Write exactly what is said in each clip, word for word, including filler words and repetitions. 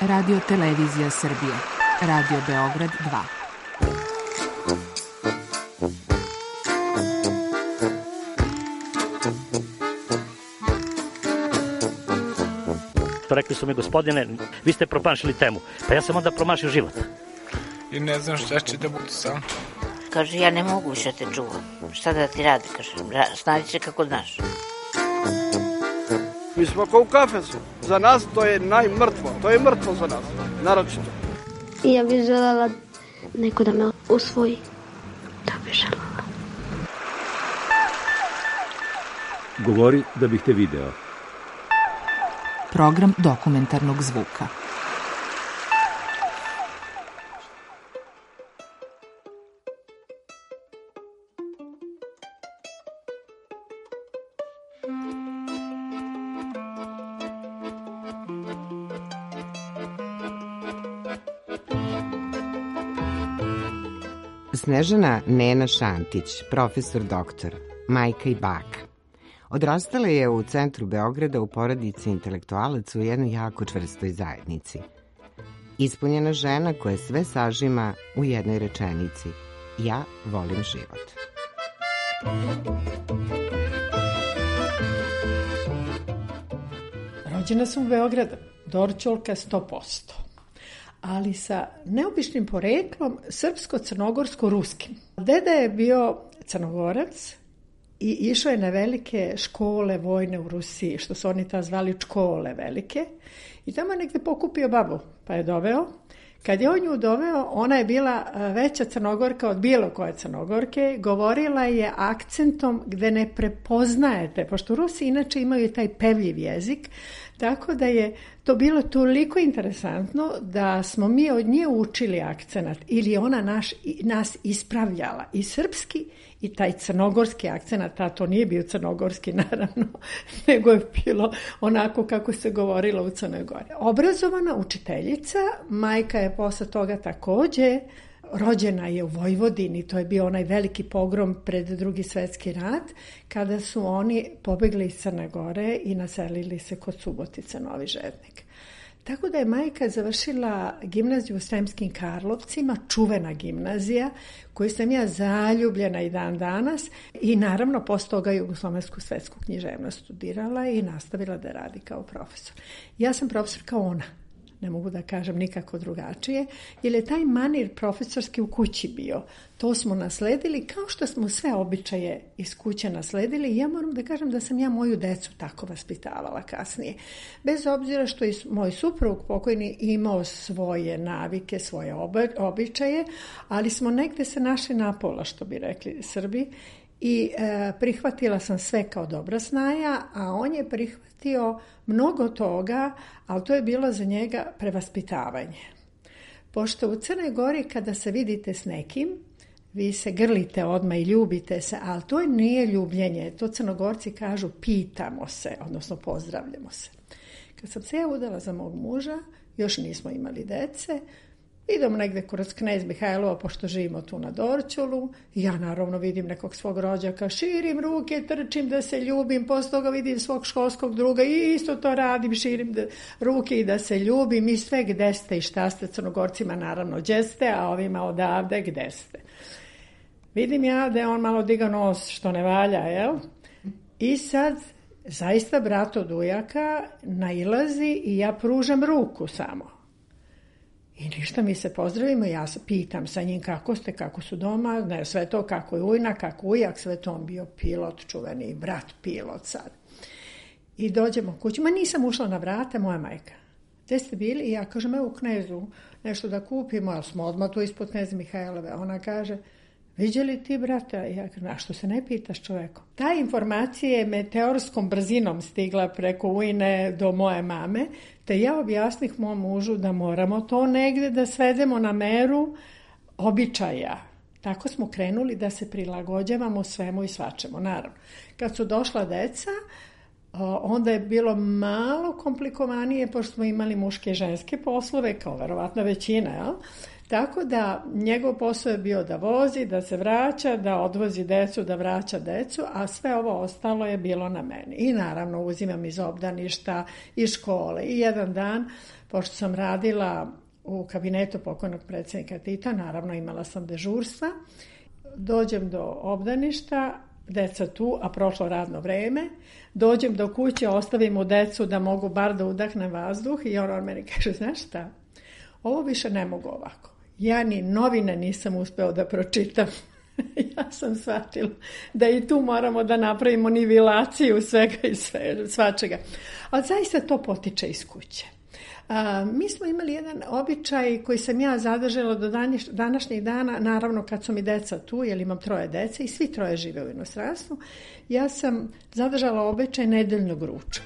Radio Televizija Srbije. Radio Beograd dva. Rekli su mi, gospodine, vi ste promašili temu. Pa ja sam onda promašio život. I ne znam šta će da bude sam. Kaže, ja ne mogu više te čuvam. Šta da ti radi, kaže, snađi se kako znaš. Mi smo kao u kafesu. Za nas to je najmrtvo. To je mrtvo za nas, naročito. I ja bih želela neko da me usvoji. To bih želela. Govori da bih te video. Program dokumentarnog zvuka. Snežana Nena Šantić, profesor doktor, majka i baka. Odrastala je u centru Beograda u porodici intelektualaca u jednoj jako čvrstoj zajednici. Ispunjena žena koja sve sažima u jednoj rečenici: ja volim život. Rođena sam u Beogradu, Dorćolka sto posto. Ali sa neobičnim poreklom srpsko-crnogorsko-ruskim. Deda je bio Crnogorac i išao je na velike škole vojne u Rusiji, što su oni ta zvali škole velike. I tamo je negde pokupio babu, pa je doveo. Kad je on nju doveo, ona je bila veća Crnogorka od bilo koje Crnogorke. Govorila je akcentom gde ne prepoznajete, pošto Rusi inače imaju taj pevljiv jezik, tako da je to bilo toliko interesantno da smo mi od nje učili akcenat ili ona naš, nas ispravljala i srpski i taj crnogorski akcenat, a to nije bio crnogorski naravno, nego je bilo onako kako se govorilo u Crnoj Gori. Obrazovana učiteljica, majka je posle toga takođe, rođena je u Vojvodini, to je bio onaj veliki pogrom pred Drugi svetski rat, kada su oni pobegli iz Crne Gore i naselili se kod Subotice, Novi Žednik. Tako da je majka završila gimnaziju u Sremskim Karlovcima, čuvena gimnazija, koju sam ja zaljubljena i dan danas i naravno posle toga jugoslovensku svetsku književnost studirala i nastavila da radi kao profesor. Ja sam profesor kao ona. Ne mogu da kažem nikako drugačije, jer je taj manir profesorski u kući bio. To smo nasledili kao što smo sve običaje iz kuće nasledili i ja moram da kažem da sam ja moju decu tako vaspitavala kasnije. Bez obzira što je moj suprug pokojni imao svoje navike, svoje običaje, ali smo negde se našli napola, što bi rekli Srbi, i e, prihvatila sam sve kao dobra snaja, a on je prihvatio mnogo toga, ali to je bilo za njega prevaspitavanje. Pošto u Crnoj Gori kada se vidite s nekim, vi se grlite odmah i ljubite se, ali to nije ljubljenje, to Crnogorci kažu pitamo se, odnosno pozdravljamo se. Kad sam se ja udala za mog muža, još nismo imali dece, idem negde kroz Knez Mihajlova, pošto živimo tu na Dorćolu, i ja naravno vidim nekog svog rođaka, širim ruke, trčim da se ljubim, posle toga vidim svog školskog druga i isto to radim, širim da, ruke i da se ljubim i sve gde ste i šta ste, Crnogorcima naravno gde ste, a ovima odavde gde ste. Vidim ja da je on malo digao nos što ne valja, jel? I sad zaista brat od ujaka nailazi i ja pružam ruku samo. I ništa, mi se pozdravimo, ja se pitam sa njim kako ste, kako su doma, ne, sve to kako je ujna, kako ujak, sve to on bio pilot, čuveni brat pilot sad. I dođemo kući, ma nisam ušla na vrata, moja majka. Gde ste bili? I ja kažem, evo u Knezu, nešto da kupimo, ali smo odmah tu ispod Kneza Mihajlove. Ona kaže, viđeli ti brata? I ja kažem, a što se ne pitaš čovekom? Ta informacija je meteorskom brzinom stigla preko ujne do moje mame, te ja objasnih mom mužu da moramo to negde da svedemo na meru običaja. Tako smo krenuli da se prilagođavamo svemu i svačemu. Naravno, kad su došla deca, onda je bilo malo komplikovanije, pošto smo imali muške i ženske poslove, kao verovatno većina, jel? Tako da njegov posao je bio da vozi, da se vraća, da odvozi decu, da vraća decu, a sve ovo ostalo je bilo na meni. I naravno uzimam iz obdaništa, iz škole. I jedan dan, pošto sam radila u kabinetu pokojnog predsjednika Tita, naravno imala sam dežurstva, dođem do obdaništa, deca tu, a prošlo radno vreme, dođem do kuće, ostavim mu decu da mogu bar da udahnem vazduh i on, on meni kaže, znaš šta, ovo više ne mogu ovako. Ja ni novine nisam uspeo da pročitam. Ja sam shvatila da i tu moramo da napravimo nivelaciju svega i sve, svačega. Ali zaista to potiče iz kuće. A, mi smo imali jedan običaj koji sam ja zadržala do današnjih dana, naravno kad su mi deca tu, jer imam troje dece i svi troje žive u inostranstvu, ja sam zadržala običaj nedeljnog ručka.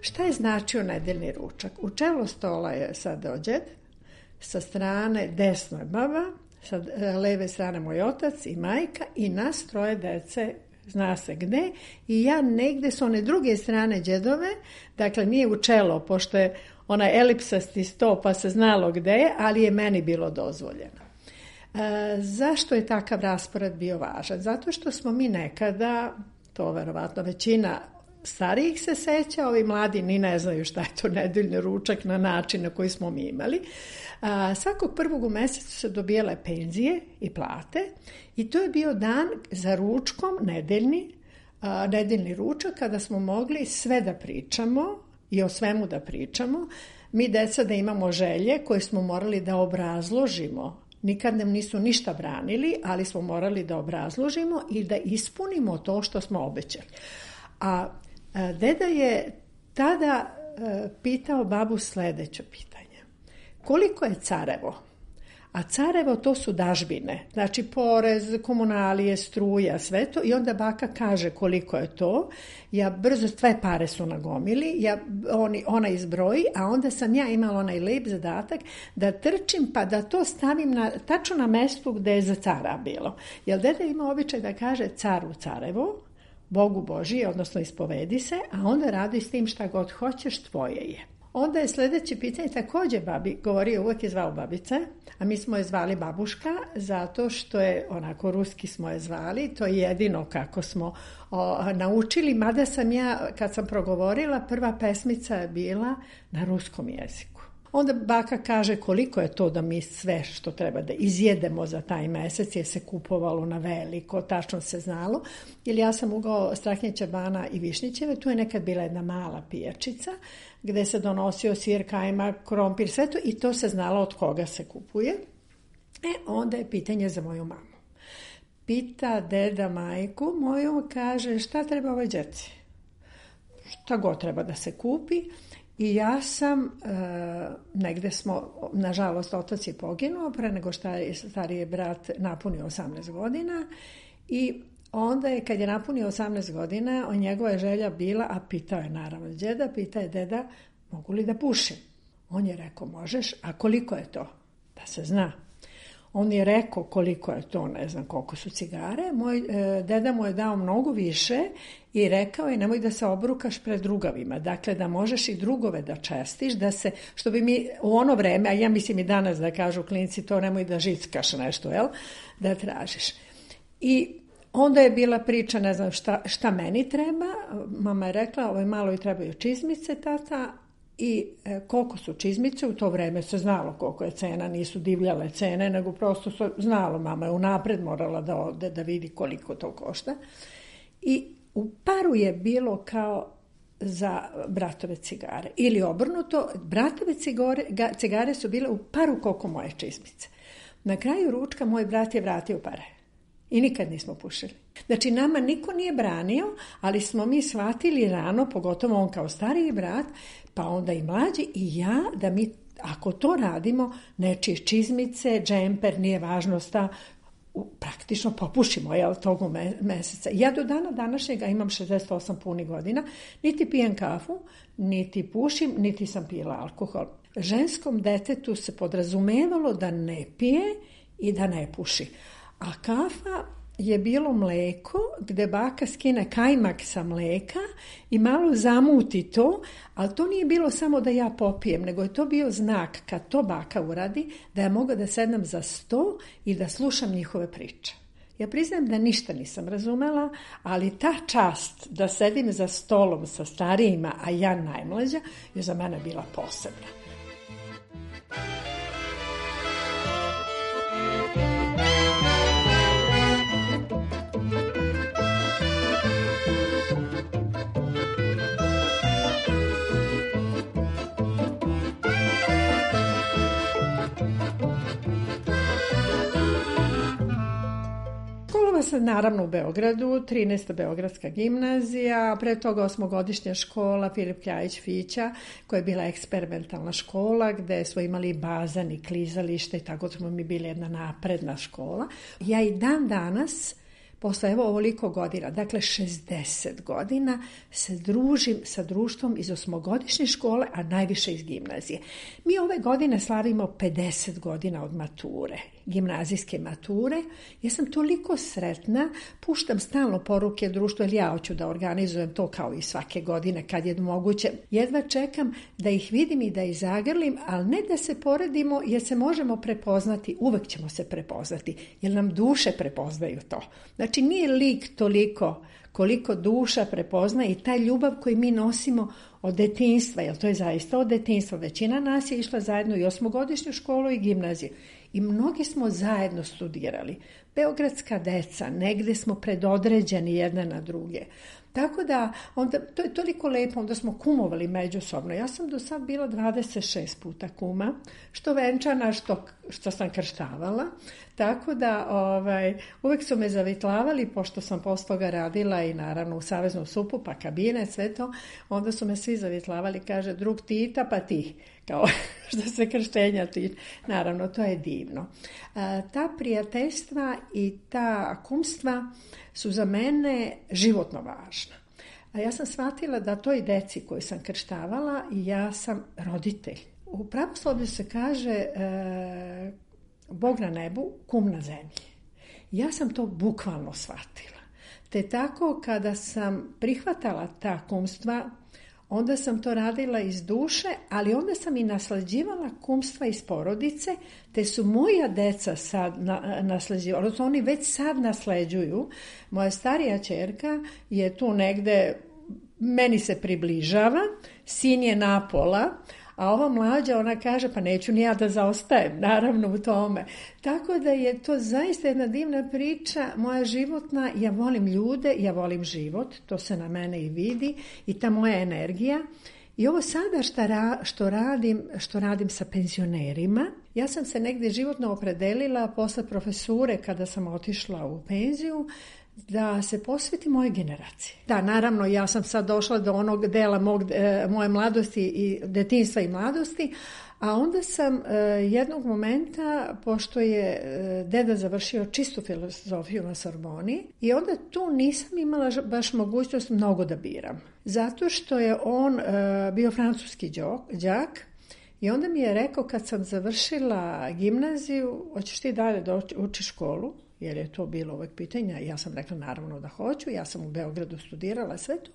Šta je značio nedeljni ručak? U čelo stola je sadao džed, sa strane desno je baba, sa leve strane moj otac i majka i nas troje dece, zna se gde, i ja negde s one druge strane džedove, dakle nije u čelo, pošto je onaj elipsasti sto pa se znalo gde je, ali je meni bilo dozvoljeno. E, zašto je takav raspored bio važan? Zato što smo mi nekada, to verovatno većina starijih se seća, ovi mladi ni ne znaju šta je to nedeljni ručak na način na koji smo mi imali. A, svakog prvog u mesecu se dobijale penzije i plate i to je bio dan za ručkom nedeljni, a, nedeljni ručak kada smo mogli sve da pričamo i o svemu da pričamo. Mi deca da imamo želje koje smo morali da obrazložimo. Nikad nam nisu ništa branili, ali smo morali da obrazložimo i da ispunimo to što smo obećali. A deda je tada pitao babu sledeće pitanje. Koliko je carevo? A carevo to su dažbine, znači porez, komunalije, struja, sve to. I onda baka kaže koliko je to. Ja brzo, sve pare su na gomili, ja, oni, ona izbroji, a onda sam ja imala onaj lep zadatak da trčim pa da to stavim na, tačno na mestu gde je za cara bilo. Jer deda ima običaj da kaže caru carevo, Bogu Božije, odnosno ispovedi se, a onda radi s tim šta god hoćeš, tvoje je. Onda je sljedeće pitanje, također babi govorio, uvijek je zvao babice, a mi smo je zvali babuška, zato što je, onako ruski smo je zvali, to je jedino kako smo o, naučili, mada sam ja, kad sam progovorila, prva pesmica je bila na ruskom jeziku. Onda baka kaže koliko je to da mi sve što treba da izjedemo za taj mesec, jer se kupovalo na veliko, tačno se znalo. Jer ja sam ugao Strahinjeća bana i Višnjićeve, tu je nekad bila jedna mala pijačica gde se donosio sir, kajmak, krompir, sve to i to se znalo od koga se kupuje. E, onda je pitanje za moju mamu. Pita deda majku moju, kaže šta treba ovoj djeci? Šta god treba da se kupi. I ja sam, e, negde smo, nažalost, otac je poginuo pre nego što je stariji brat napunio osamnaest godina i onda je, kad je napunio osamnaest godina, on njegova želja bila, a pitao je naravno djeda, pitao je deda, mogu li da pušim? On je rekao, možeš, a koliko je to? Da se zna. On je rekao koliko je to, ne znam koliko su cigare. Moj e, deda mu je dao mnogo više i rekao je nemoj da se obrukaš pred drugavima. Dakle, da možeš i drugove da čestiš, da se, što bi mi u ono vreme, a ja mislim i danas da kažu klinci, to nemoj da žickaš nešto, jel? Da tražiš. I onda je bila priča, ne znam šta, šta meni treba. Mama je rekla, ovoj maloj trebaju čizmice, tata, i e, koliko su čizmice, u to vreme se znalo koliko je cena, nisu divljale cene, nego prosto se znalo, mama je unapred morala da ode, da vidi koliko to košta. I u paru je bilo kao za bratove cigare. Ili obrnuto, bratove cigare, ga, cigare su bile u paru koliko moje čizmice. Na kraju ručka moj brat je vratio pare. I nikad nismo pušili. Znači, nama niko nije branio, ali smo mi shvatili rano, pogotovo on kao stariji brat, pa onda i mlađi i ja, da mi, ako to radimo, nečije čizmice, džemper, nije važno sta, praktično popušimo, jel, togu me, meseca. Ja do dana današnjega imam šezdeset osam punih godina, niti pijem kafu, niti pušim, niti sam pila alkohol. Ženskom detetu se podrazumevalo da ne pije i da ne puši. A kafa je bilo mleko gde baka skine kajmak sa mleka i malo zamuti to, ali to nije bilo samo da ja popijem, nego je to bio znak kad to baka uradi, da ja mogu da sednem za sto i da slušam njihove priče. Ja priznajem da ništa nisam razumela, ali ta čast da sedim za stolom sa starijima, a ja najmlađa, je za mene bila posebna. Sam naravno u Beogradu, trinaesta Beogradska gimnazija, pre toga osmogodišnja škola Filip Kljajić Fića, koja je bila eksperimentalna škola gde smo imali bazan i klizalište i tako smo mi bili jedna napredna škola. Ja i dan danas, posle evo ovoliko godina, dakle šezdeset godina, se družim sa društvom iz osmogodišnje škole, a najviše iz gimnazije. Mi ove godine slavimo pedeset godina od mature, gimnazijske mature. Ja sam toliko sretna, puštam stalno poruke društvu, jer ja hoću da organizujem to kao i svake godine kad je moguće. Jedva čekam da ih vidim i da ih zagrlim, ali ne da se poredimo, jer se možemo prepoznati, uvek ćemo se prepoznati, jer nam duše prepoznaju to. Znači nije lik toliko koliko duša prepozna i ta ljubav koju mi nosimo od detinjstva, jer to je zaista od detinjstva. Većina nas je išla zajedno i osmogodišnju školu i gimnaziju. I mnogi smo zajedno studirali. Beogradska deca, negde smo predodređeni jedne na druge. Tako da, onda, to je toliko lepo, onda smo kumovali međusobno. Ja sam do sad bila dvadeset šest puta kuma, što venčana, što, što sam krštavala. Tako da, ovaj, uvek su me zavitlavali, pošto sam posle toga radila i naravno u Saveznom supu, pa kabine, sve to, onda su me svi zavitlavali, kaže, drug Tita, pa ti, kao što se krštenja tiče. Naravno, to je divno. A, ta prijateljstva i ta kumstva su za mene životno važna. A ja sam shvatila da toj deci koju sam krštavala, ja sam roditelj. U pravoslavlju se kaže e, Bog na nebu, kum na zemlji. Ja sam to bukvalno shvatila. Te tako kada sam prihvatala ta kumstva, onda sam to radila iz duše, ali onda sam i naslađivala kumstva iz porodice, te su moja deca sad na, naslađivala, odnosno oni već sad nasleđuju. Moja starija ćerka je tu negde, meni se približava, sin je napola, a ova mlađa, ona kaže, pa neću ni ja da zaostajem, naravno u tome. Tako da je to zaista jedna divna priča, moja životna, ja volim ljude, ja volim život, to se na mene i vidi, i ta moja energija. I ovo sada šta ra, što, radim, što radim sa penzionerima, ja sam se negdje životno opredelila posle profesure kada sam otišla u penziju, da se posveti moje generacije. Da, naravno, ja sam sad došla do onog dela mog, e, moje mladosti i detinjstva i mladosti, a onda sam e, jednog momenta, pošto je e, deda završio čistu filozofiju na Sorboni, i onda tu nisam imala baš mogućnost mnogo da biram. Zato što je on e, bio francuski đak, i onda mi je rekao kad sam završila gimnaziju, hoćeš ti dalje da učiš školu? Jer je to bilo uvek pitanja. Ja sam rekla naravno da hoću, ja sam u Beogradu studirala sve to.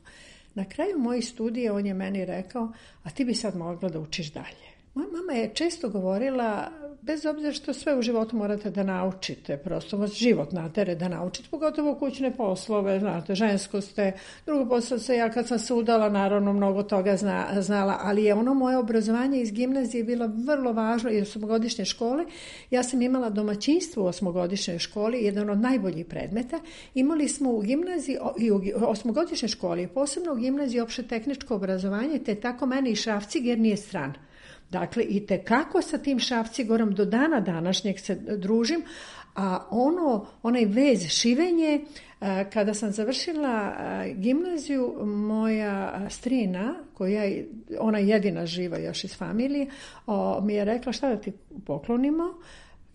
Na kraju mojih studija on je meni rekao, a ti bi sad mogla da učiš dalje. Moja mama je često govorila, bez obzira što sve u životu morate da naučite, prosto vas život natere da naučite, pogotovo kućne poslove, znate, žensko ste, drugo posao se, ja kad sam se udala, naravno mnogo toga zna, znala, ali je ono moje obrazovanje iz gimnazije bilo vrlo važno i osmogodišnje škole. Ja sam imala domaćinstvo u osmogodišnjoj školi, jedan od najboljih predmeta. Imali smo u gimnaziji i u osmogodišnjoj školi, posebno u gimnaziji opšte tehničko obrazovanje, te tako meni i Šrafciger nije stran. Dakle, i tekako sa tim Šrafcigorom do dana današnjeg se družim, a ono, onaj vez, šivenje, kada sam završila gimnaziju, moja strina, koja je ona jedina živa još iz familije, mi je rekla šta da ti poklonimo.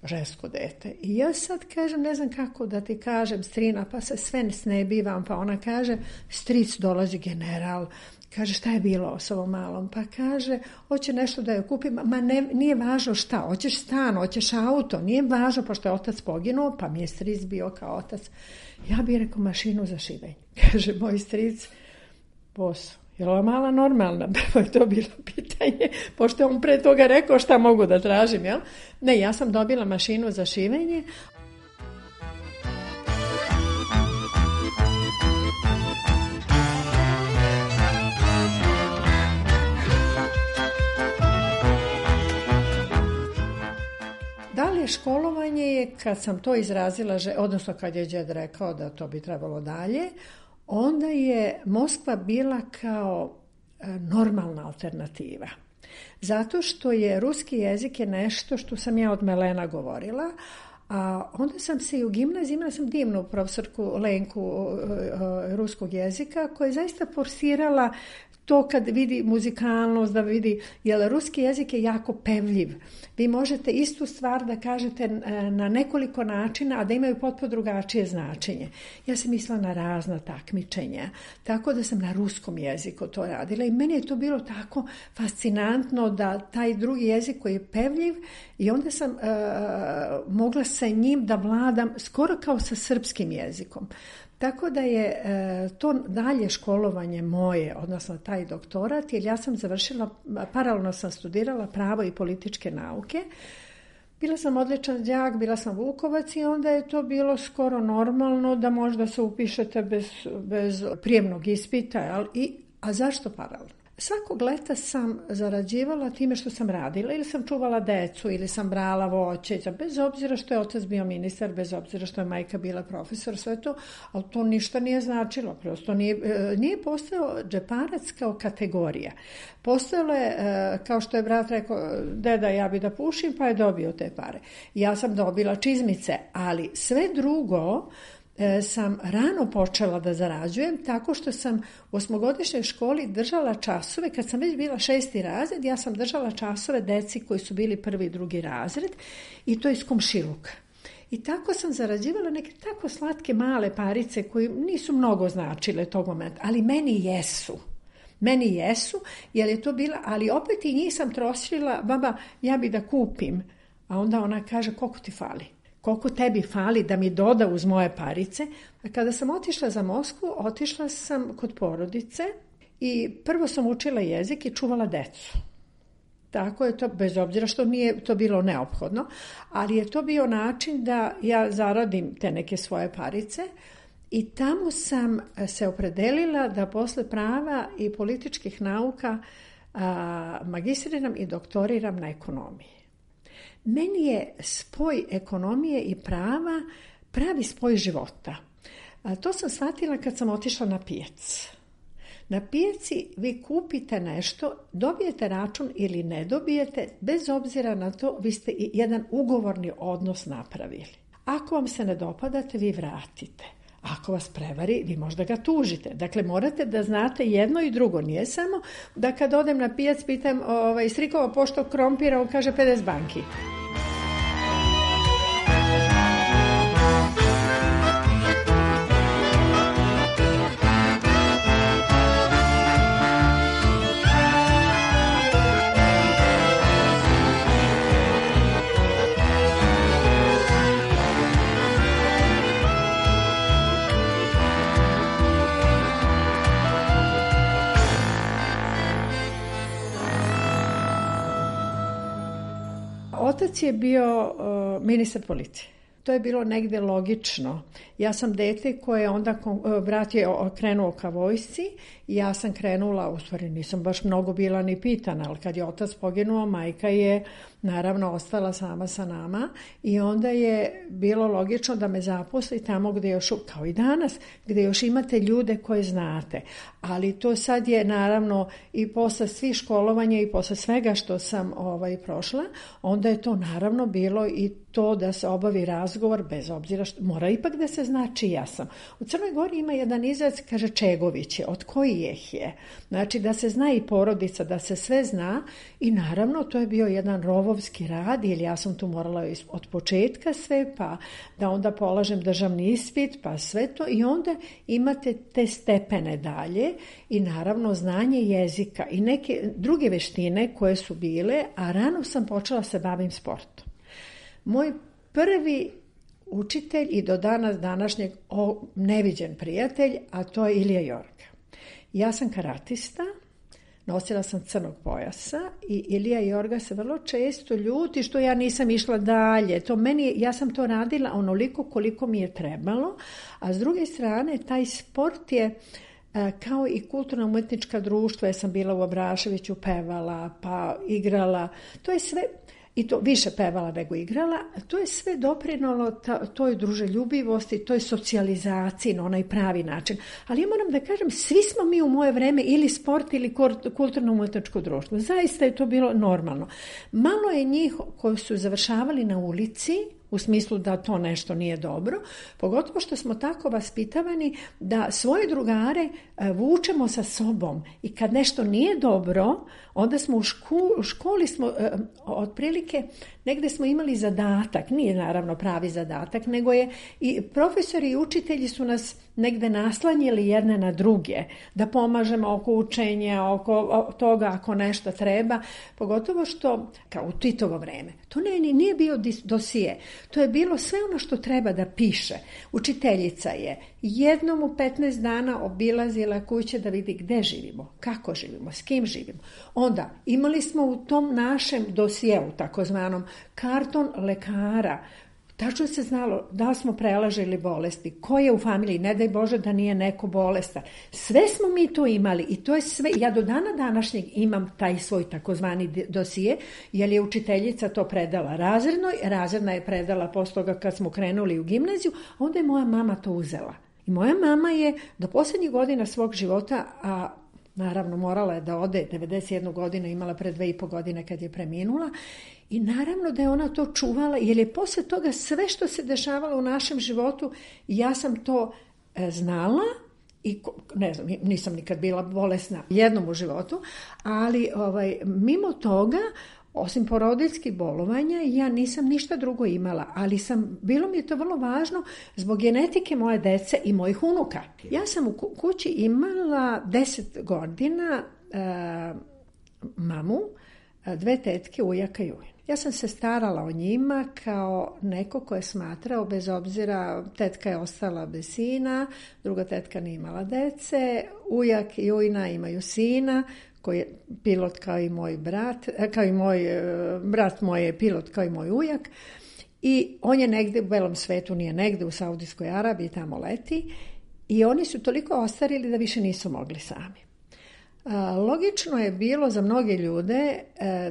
žensko dete. I ja sad kažem, ne znam kako da ti kažem, strina, pa se sve snebivam, pa ona kaže, stric dolazi general, kaže, šta je bilo s ovom malom? Pa kaže, hoće nešto da joj kupim, ma ne, nije važno šta, hoćeš stan, hoćeš auto, nije važno, pošto je otac poginuo, pa mi je stric bio kao otac. Ja bih rekao mašinu za šivenje. Kaže, moj stric, posao. Je li ova mala normalna? Pa je to bilo pitanje, pošto je on pre toga rekao šta mogu da tražim, jel? Ne, ja sam dobila mašinu za šivenje. Dalje školovanje je, kad sam to izrazila, odnosno kad je džed rekao da to bi trebalo dalje, onda je Moskva bila kao normalna alternativa. Zato što je ruski jezik je nešto što sam ja od melena govorila, a onda sam se i u gimnaziji, imala sam divnu profesorku Lenku ruskog jezika koja je zaista forsirala to kad vidi muzikalnost, da vidi, jer ruski jezik je jako pevljiv. Vi možete istu stvar da kažete na nekoliko načina, a da imaju potpuno drugačije značenje. Ja sam mislila na razna takmičenja, tako da sam na ruskom jeziku to radila i meni je to bilo tako fascinantno da taj drugi jezik koji je pevljiv i onda sam uh, mogla sa njim da vladam skoro kao sa srpskim jezikom. Tako da je e, to dalje školovanje moje, odnosno taj doktorat, jer ja sam završila, paralelno sam studirala pravo i političke nauke. Bila sam odličan đak, bila sam Vukovac i onda je to bilo skoro normalno da možda se upišete bez, bez prijemnog ispita. Ali, i, a zašto paralelno? Svakog leta sam zarađivala time što sam radila, ili sam čuvala decu, ili sam brala voće, bez obzira što je otac bio ministar, bez obzira što je majka bila profesor, sve to, ali to ništa nije značilo, prosto nije, nije postojao džeparac kao kategorija. Postojalo je, kao što je brat rekao, deda, ja bi da pušim, pa je dobio te pare. Ja sam dobila čizmice, ali sve drugo sam rano počela da zarađujem tako što sam u osmogodišnjoj školi držala časove, kad sam već bila šesti razred, ja sam držala časove deci koji su bili prvi i drugi razred i to iz komšiluka. I tako sam zarađivala neke tako slatke male parice koje nisu mnogo značile tog momenta, ali meni jesu. Meni jesu, jer je to bila, ali opet i njih sam trošila, baba, ja bi da kupim, a onda ona kaže, koliko ti fali? Koliko tebi fali da mi doda uz moje parice. Kada sam otišla za Moskvu, otišla sam kod porodice i prvo sam učila jezik i čuvala decu. Tako je to, bez obzira što nije to bilo neophodno, ali je to bio način da ja zaradim te neke svoje parice i tamo sam se opredelila da posle prava i političkih nauka a, magistriram i doktoriram na ekonomiji. Meni je spoj ekonomije i prava pravi spoj života. A to sam shvatila kad sam otišla na pijac. Na pijaci vi kupite nešto, dobijete račun ili ne dobijete, bez obzira na to vi ste i jedan ugovorni odnos napravili. Ako vam se ne dopadate, vi vratite. Ako vas prevari, vi možda ga tužite. Dakle, morate da znate jedno i drugo. Nije samo da kad odem na pijac pitam ovaj, strikova pošto krompira, on kaže pedeset banki. Otac je bio uh, ministar policije. To je bilo negdje logično. Ja sam dete koje onda, brat je krenuo ka vojsci i ja sam krenula, u stvari nisam baš mnogo bila ni pitana, ali kad je otac poginuo, majka je naravno ostala sama sa nama i onda je bilo logično da me zaposli tamo gdje još, kao i danas, gdje još imate ljude koje znate. Ali to sad je naravno i posle svih školovanja i posle svega što sam ovaj, prošla, onda je to naravno bilo i to da se obavi razgovor, bez obzira što mora ipak da se zna čija sam. U Crnoj Gori ima jedan izraz, kaže Čegović je, od kojih je. Znači da se zna i porodica, da se sve zna i naravno to je bio jedan rovovski rad, jer ja sam tu morala od početka sve, pa da onda polažem državni ispit, pa sve to i onda imate te stepene dalje i naravno znanje jezika i neke druge veštine koje su bile, a rano sam počela se bavim sportom. Moj prvi učitelj i do danas današnjeg o, neviđen prijatelj, a to je Ilija Jorga. Ja sam karatista, nosila sam crnog pojasa i Ilija Jorga se vrlo često ljuti što ja nisam išla dalje. To meni, ja sam to radila onoliko koliko mi je trebalo, a s druge strane taj sport je kao i kulturno-umetnička društva, ja sam bila u Abraševiću, pevala, pa igrala, to je sve, i to više pevala nego igrala, to je sve doprinalo ta, toj druželjubivosti, toj socijalizaciji na onaj pravi način. Ali ja moram da kažem, svi smo mi u moje vreme ili sport ili kulturno-umetničko društvo. Zaista je to bilo normalno. Malo je njih koji su završavali na ulici, u smislu da to nešto nije dobro, pogotovo što smo tako vaspitavani da svoje drugare vučemo sa sobom i kad nešto nije dobro, onda smo u, šku, u školi smo otprilike negde smo imali zadatak, nije naravno pravi zadatak, nego je i profesori i učitelji su nas negde naslanjili jedne na druge, da pomažemo oko učenja, oko toga ako nešto treba, pogotovo što, kao u Titovo vreme, to ne, nije bio dosije, to je bilo sve ono što treba da piše. Učiteljica je jednom u petnaest dana obilazila kuće da vidi gde živimo, kako živimo, s kim živimo. Onda imali smo u tom našem dosijeu, takozvanom, karton lekara. Tačno se znalo da smo prelažili bolesti, ko je u familiji, ne daj Bože da nije neko bolestan. Sve smo mi to imali i to je sve, ja do dana današnjeg imam taj svoj takozvani dosije, jer je učiteljica to predala razrednoj, razredna je predala posle toga kad smo krenuli u gimnaziju, onda je moja mama to uzela. I moja mama je do posljednjih godina svog života, a naravno morala je da ode, devedeset jednu godinu imala pre dve i po godine kad je preminula, i naravno da je ona to čuvala, jer je posle toga sve što se dešavalo u našem životu, ja sam to e, znala i ne znam, nisam nikad bila bolesna jednom u životu, ali ovaj, mimo toga, osim porodiljskih bolovanja, ja nisam ništa drugo imala, ali sam, bilo mi je to vrlo važno zbog genetike moje dece i mojih unuka. Ja sam u kući imala deset godina e, mamu, dve tetke, ujaka i ujin. Ja sam se starala o njima kao neko ko je smatrao, bez obzira, tetka je ostala bez sina, druga tetka nije imala dece, ujak i ujna imaju sina, koji je pilot kao i moj brat, kao i moj brat moj je pilot kao i moj ujak, i on je negde u belom svetu, nije negde u Saudijskoj Arabiji, tamo leti, i oni su toliko ostarili da više nisu mogli sami. Logično je bilo za mnoge ljude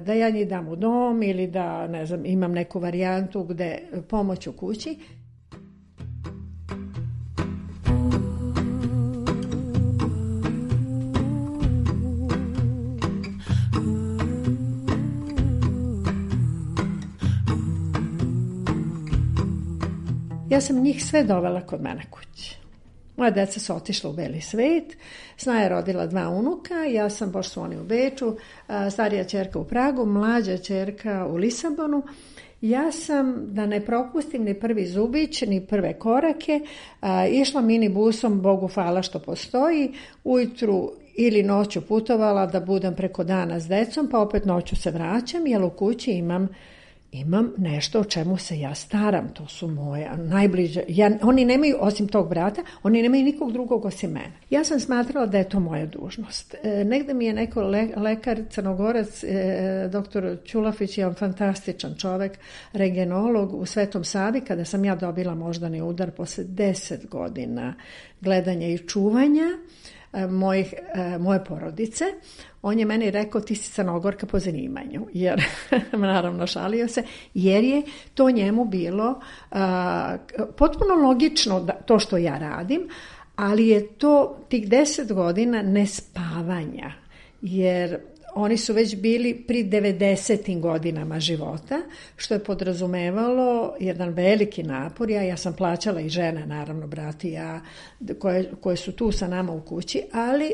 da ja njih dam u dom ili da, ne znam, imam neku varijantu gde pomoć u kući. Ja sam njih sve dovela kod mene kući. Moja deca su otišla u beli svet, Snaja je rodila dva unuka, ja sam, pošto su oni u Beču, starija ćerka u Pragu, mlađa ćerka u Lisabonu. Ja sam, da ne propustim ni prvi zubić, ni prve korake, išla minibusom, Bogu hvala što postoji, ujutru ili noću putovala da budem preko dana s decom, pa opet noću se vraćam, jer u kući imam imam nešto o čemu se ja staram, to su moje najbliže, ja, oni nemaju, osim tog brata, oni nemaju nikog drugog osim mene. Ja sam smatrala da je to moja dužnost. E, negde mi je neko le, lekar, Crnogorac, e, doktor Ćulafić, je on fantastičan čovek, regenolog u Svetom Savi, kada sam ja dobila moždani udar posle deset godina gledanja i čuvanja mojih, moje porodice, on je meni rekao, ti si Crnogorka po zanimanju, jer naravno šalio se, jer je to njemu bilo a, potpuno logično da, to što ja radim, ali je to tih deset godina nespavanja, jer oni su već bili pri devedesetim godinama života, što je podrazumevalo jedan veliki napor. Ja, ja sam plaćala i žene, naravno, brati i ja, koje, koje su tu sa nama u kući, ali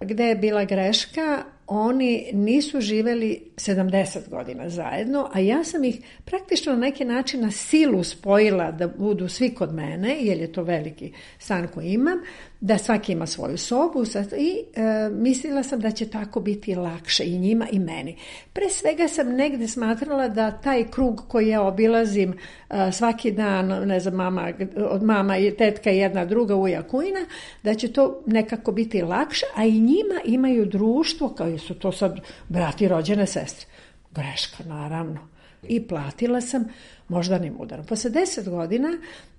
gde je bila greška, oni nisu živeli sedamdeset godina zajedno, a ja sam ih praktično na neki način na silu spojila da budu svi kod mene, jer je to veliki stan koji imam, da svaki ima svoju sobu i e, mislila sam da će tako biti lakše i njima i meni. Pre svega sam negde smatrala da taj krug koji ja obilazim e, svaki dan, ne znam, mama, od mama i tetka jedna druga uja kujna, da će to nekako biti lakše, a i njima imaju društvo, kao su to sad brati, rođene sestre. Greška, naravno. I platila sam moždanim udarom. Posle deset godina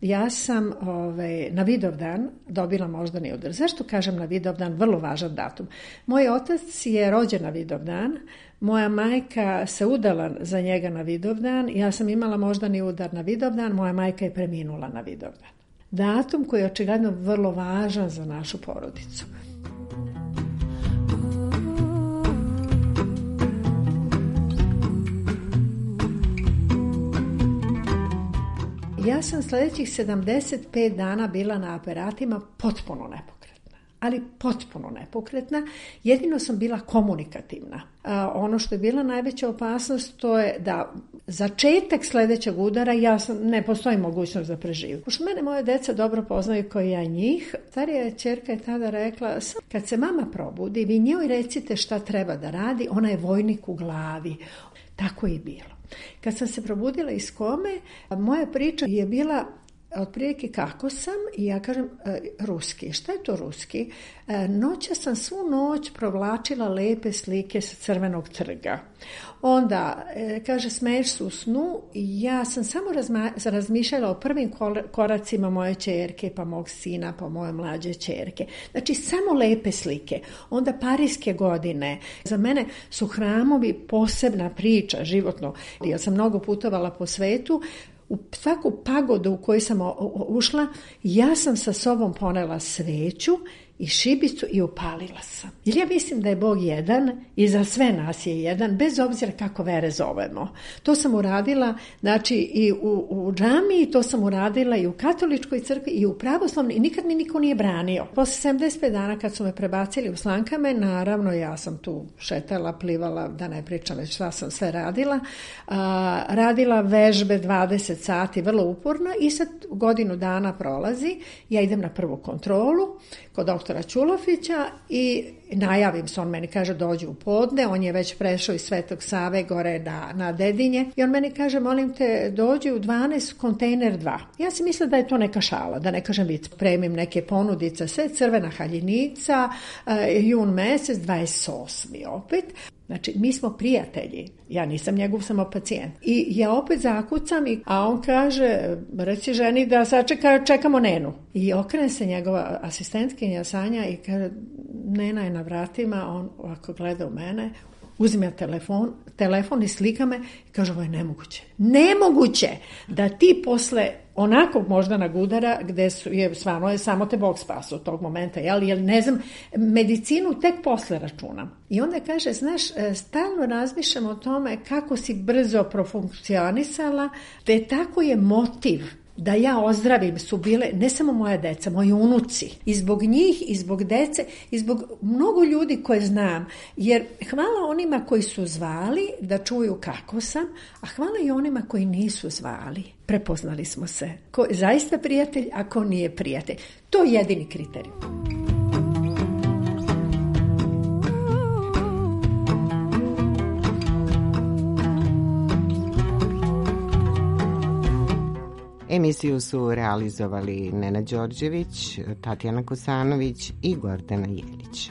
ja sam ovaj, na Vidovdan dobila moždani udar. Zašto kažem na Vidovdan? Vrlo važan datum. Moj otac je rođen na Vidovdan, moja majka se udala za njega na Vidovdan, ja sam imala moždani udar na Vidovdan, moja majka je preminula na Vidovdan. Datum koji je očigledno vrlo važan za našu porodicu. Ja sam sljedećih sedamdeset pet dana bila na aparatima potpuno nepokretna, ali potpuno nepokretna, jedino sam bila komunikativna. A ono što je bila najveća opasnost, to je da začetak sljedećeg udara, ja sam, ne postoji mogućnost da preživim. Pošto mene moje deca dobro poznaju kao ja njih, starija ćerka je tada rekla, kad se mama probudi, vi njoj recite šta treba da radi, ona je vojnik u glavi. Tako je i bilo. Kad sam se probudila iz kome, moja priča je bila otprilike kako sam i ja kažem e, ruski. Šta je to ruski? E, noća sam svu noć provlačila lepe slike sa Crvenog trga. Onda, e, kaže, smeješ se u snu i ja sam samo razma, razmišljala o prvim koracima moje ćerke, pa mog sina, pa moje mlađe ćerke. Znači, samo lepe slike. Onda parijske godine. Za mene su hramovi posebna priča, životno. Ja sam mnogo putovala po svetu. U svaku pagodu u koju sam ušla, ja sam sa sobom ponela sveću i šibicu i upalila sam. Jer ja mislim da je Bog jedan i za sve nas je jedan, bez obzira kako vere zovemo. To sam uradila, znači, i u, u džamiji, to sam uradila i u katoličkoj crkvi i u pravoslavnoj i nikad mi niko nije branio. Posle sedamdeset pet dana kad su me prebacili u Slankame, naravno ja sam tu šetala, plivala, da ne pričam već šta sam sve radila. A, radila vežbe dvadeset sati, vrlo uporno i sad godinu dana prolazi, ja idem na prvu kontrolu kod doktora Ćulofića i najavim se, on meni kaže dođi u podne, on je već prešao iz Svetog Save gore na, na Dedinje i on meni kaže molim te dođi u dvanaest kontejner dva. Ja si mislila da je to neka šala, da ne kažem vic, premim neke ponudice, sve crvena haljinica, uh, jun mesec, dvadeset osmi opet. Znači, mi smo prijatelji. Ja nisam njegov samo pacijent. I ja opet zakucam, i, a on kaže, reci ženi da sačeka, čekamo Nenu. I okrene se njegova asistentkinja Sanja i kaže, Nena je na vratima, on ovako gleda u mene, uzme telefon, telefon i slika me i kaže, ovo je nemoguće. Nemoguće da ti posle onakvog moždanog udara, gde su, je stvarno je samo te Bog spasao od tog momenta, jel, jel ne znam, medicinu tek posle računam. I onda kaže, znaš, stalno razmišljam o tome kako si brzo profunkcionisala, te tako je motiv da ja ozdravim su bile ne samo moja deca, moji unuci. I zbog njih, i zbog dece, i zbog mnogo ljudi koje znam. Jer hvala onima koji su zvali da čuju kako sam, a hvala i onima koji nisu zvali. Prepoznali smo se. Ko je zaista prijatelj, a ko nije prijatelj. To je jedini kriterij. Emisiju su realizovali Nena Đorđević, Tatjana Kosanović i Gordana Jelić.